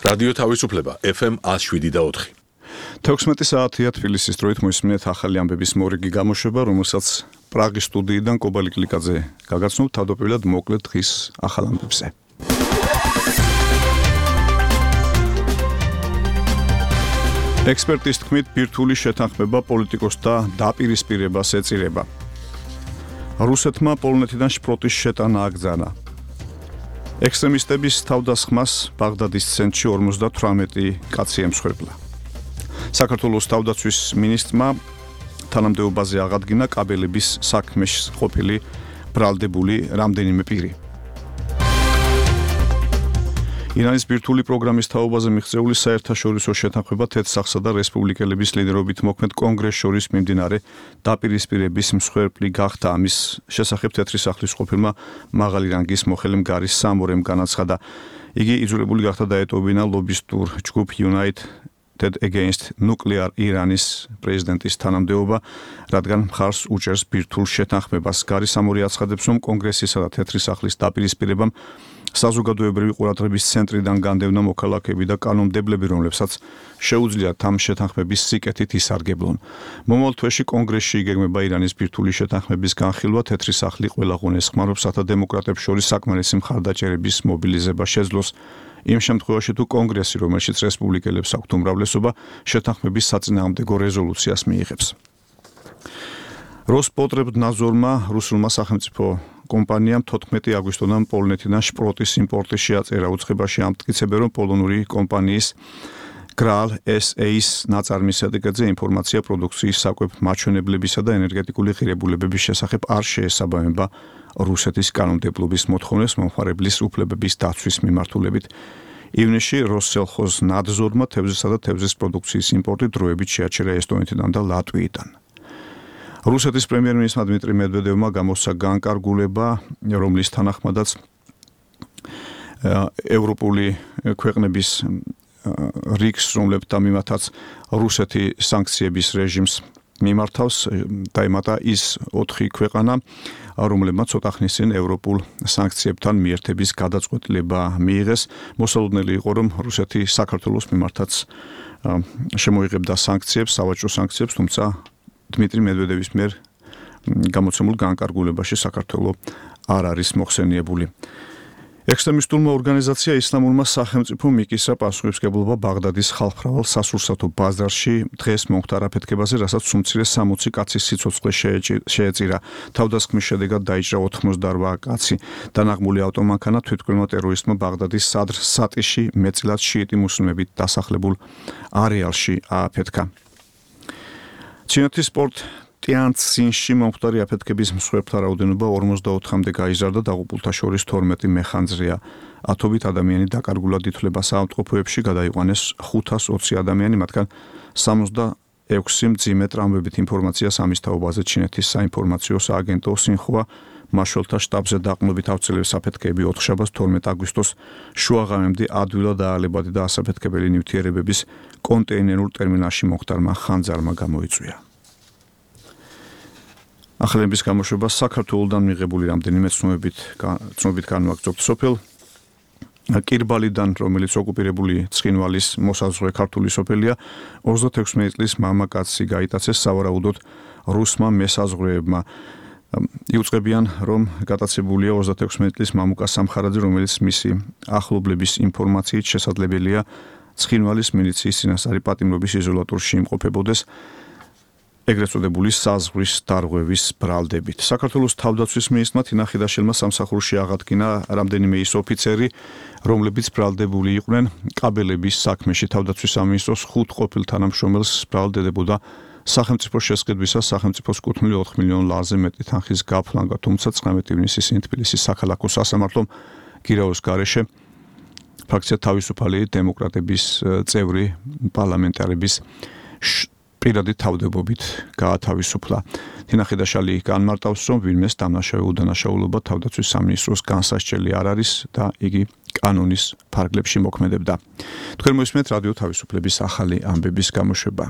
რადიო თავისუფლება FM 107.4. 16 საათია თბილისის დროით მოისმინეთ ახალი ამბების მორიგი გამოშვება, რომელსაც პრაღის სტუდიიდან კობალი კლიკაძე გაგაცნობთ თავდაპირველად მოკლედ დღის ახალ ამბებზე. ექსპერტის თქმით, ბირთვული შეთანხმება პოლიტიკოსთა დაპირისპირებას ეწირება. რუსეთმა პოლონეთიდან შპროტის შეტანა აგზავნა. ექსტრემისტების თავდასხმას ბაღდადის ცენტრში 58 კაცი ემსხვერპლა. საქართველოს თავდაცვის მინისტრმა თანამდებობაზე აღადგინა კაბელების საქმეში ყოფილი ბრალდებული რამდენიმე პირი. ირანის ბირთვული პროგრამის თაობაზე მიღწეული საერთაშორისო შეთანხმება თეთრსახსა და რესპუბლიკელების ლიდერობით მოქმედ კონგრესს შორის მიმდინარე დაპირისპირების მსხვერპლი გახდა. ამის შესახებ თეთრი სახლის ყოფილმა მაღალი რანგის მოხელემ გარის სამორემ განაცხადა. იგი იძულებული გახდა დაეტოვებინა ლობისტურ ჯგუფ United Against Nuclear Iranis პრეზიდენტის თანამდებობა, რადგან მხარს უჭერს ბირთვულ შეთანხმებას. გარის სამორი აცხადებს, რომ კონგრესისა და თეთრი სახლის დაპირისპირებამ საზოგადოებრივი ყურადღების ცენტრიდან განდევნა მოქალაქეები და კანონმდებლები, რომლებსაც შეუძლიათ ამ შეთანხმების სიკეთით ისარგებლონ. მომავალ თვეში კონგრესში იგეგმება ირანის ბირთვული შეთანხმების განხილვა. თეთრი სახლი ყველა ღონეს ხმარობს, რათა დემოკრატებს შორის საკმარისი მხარდაჭერების მობილიზება შეძლოს. იმ შემთხვევაში თუ კონგრესი, რომელშიც რესპუბლიკელებს აქვთ უმრავლესობა, შეთანხმების საწინააღმდეგო რეზოლუციას მიიღებს. როსპოტრებნაძორმა რუსულმა სახელმწიფო კომპანიამ 14 აგვისტოდან პოლონეთიდან შპროტის იმპორტის შეაწერა. უწყებაში ამტკიცებენ, რომ პოლონური კომპანიის Gral SA-ის ნაწარმის შედეგზე ინფორმაცია პროდუქციის საკვებ მაჩვენებლებისა და ენერგეტიკული ღირებულებების შესახებ არ შეესაბამება რუსეთის კანონმდებლობის მოთხოვნებს მომხმარებლის უფლებების დაცვის მიმართულებით. ივნისში როსსელხოზნაძორმა თევზისა და თევზის პროდუქციის იმპორტი დროებით შეაჩერა ესტონეთიდან და ლატვიიდან. რუსეთის პრემიერ-მინისტრმა დმიტრი მედვედევმა გამოსცა განკარგულება, რომლის თანახმადაც ევროპული ქვეყნების რიგს, რომლებთან მიმართაც რუსეთი სანქციების რეჟიმს მიმართავს, დაემატა ის 4 ქვეყანა, რომლებმაც ცოტა ხნის წინ ევროპულ სანქციებთან მიერთების გადაწყვეტილება მიიღეს. მოსალოდნელი იყო, რომ რუსეთი საქართველოს მიმართაც შემოიღებდა სანქციებს, სავაჭრო სანქციებს, თუმცა დმიტრი მედვედევის მიერ გამოცემულ განკარგულებაში საქართველო არ არის მოხსენიებული. ექსტრემისტულმა ორგანიზაცია ისლამურმა სახელმწიფომ მიკისრა პასუხისმგებლობა ბაღდადის ხალხმრავალ სასურსათო ბაზარში დღეს მომხდარ აფეთქებაზე, რასაც უმცირე 60 კაცის სიცოცხლე შეეწირა. თავდასხმის შედეგად დაიჭრა 88 კაცი. დანაღმული ავტომანქანა თვითმკვლელმა ტერორისტმა ბაღდადის სადრ სატიში მეტწილად შიიტი მუსლიმებით დასახლებულ არეალში ააფეთქა. ჩინეთის სპორტ ტიანცინში მომხდარი აფეთქების მსხვერპლთა რაოდენობა 44-მდე გაიზარდა, დაღუპულთა შორის 12 მეხანძრეა. ათობით ადამიანი დაკარგულად ითვლება საავადმყოფოებში, გადაიყვანეს 520 ადამიანი, მათგან 66 მძიმე ტრამვებით. ინფორმაციას ამის თაობაზე ჩინეთის საინფორმაციო სააგენტო სინხუა მაშველთა შტაბზე დაყრდნობით ავწელებს აფეთქეები 4 შაბათს 12 აგვისტოს შუაღამემდე ადვილად აალებადი და ასაფეთქებელი ნივთიერებების კონტეინერულ ტერმინალში მომხდარმა ხანძარმა გამოიწვია. ახალების გამოშვება საქართველოსთან მიღებული რამდენიმე ცნობით განვაგრძობთ. სოფელ კირბალიდან, რომელიც ოკუპირებული ცხინვალის მოსაზღვრე ქართული სოფელია, 36 წლის მამაკაცი გაიტაცეს სავარაუდოდ რუსმა მესაზღვრეებმა. იუწყებიან, რომ გატაცებულია 36 წლის მამუკა სამხარაძე, რომელიც მისი ახლობლების ინფორმაციით შესაძლებელია ცხინვალის მილიციის წინასწარი პატიმრობის იზოლატორში იმყოფებოდეს, ეგრეთ წოდებული საზღვრის დარღვევის ბრალდებით. საქართველოს თავდაცვის მინისტრმა თინა ხიდაშელმა სამსახურში აღადგინა რამდენიმე ის ოფიცერი, რომლებიც ბრალდებული იყვნენ კაბელების საქმეში. თავდაცვის სამინისტროს 5 ყოფილ თანამშრომელს ბრალდებოდა სახელმწიფო შესყიდვისას სახელმწიფოს კუთვნილი 4 მილიონ ლარზე მეტი თანხის გაფლანგვა, თუმცა 19 ივნისის თბილისის საქალაქო სასამართლომ გირაოს გარეშე ფრაქცია თავისუფალი დემოკრატების წევრი პარლამენტარების პირადი თავდებობით გაათავისუფლა. თინა ხიდაშალი განმარტავს, რომ ვინმეს დამნაშავე უდანაშაულობა თავდაცვის სამინისტროს განსასჯელი არ არის და იგი კანონის ფარგლებში მოქმედებდა. თქვენ მოისმენთ რადიო თავისუფლების ახალი ამბების გამოშვება.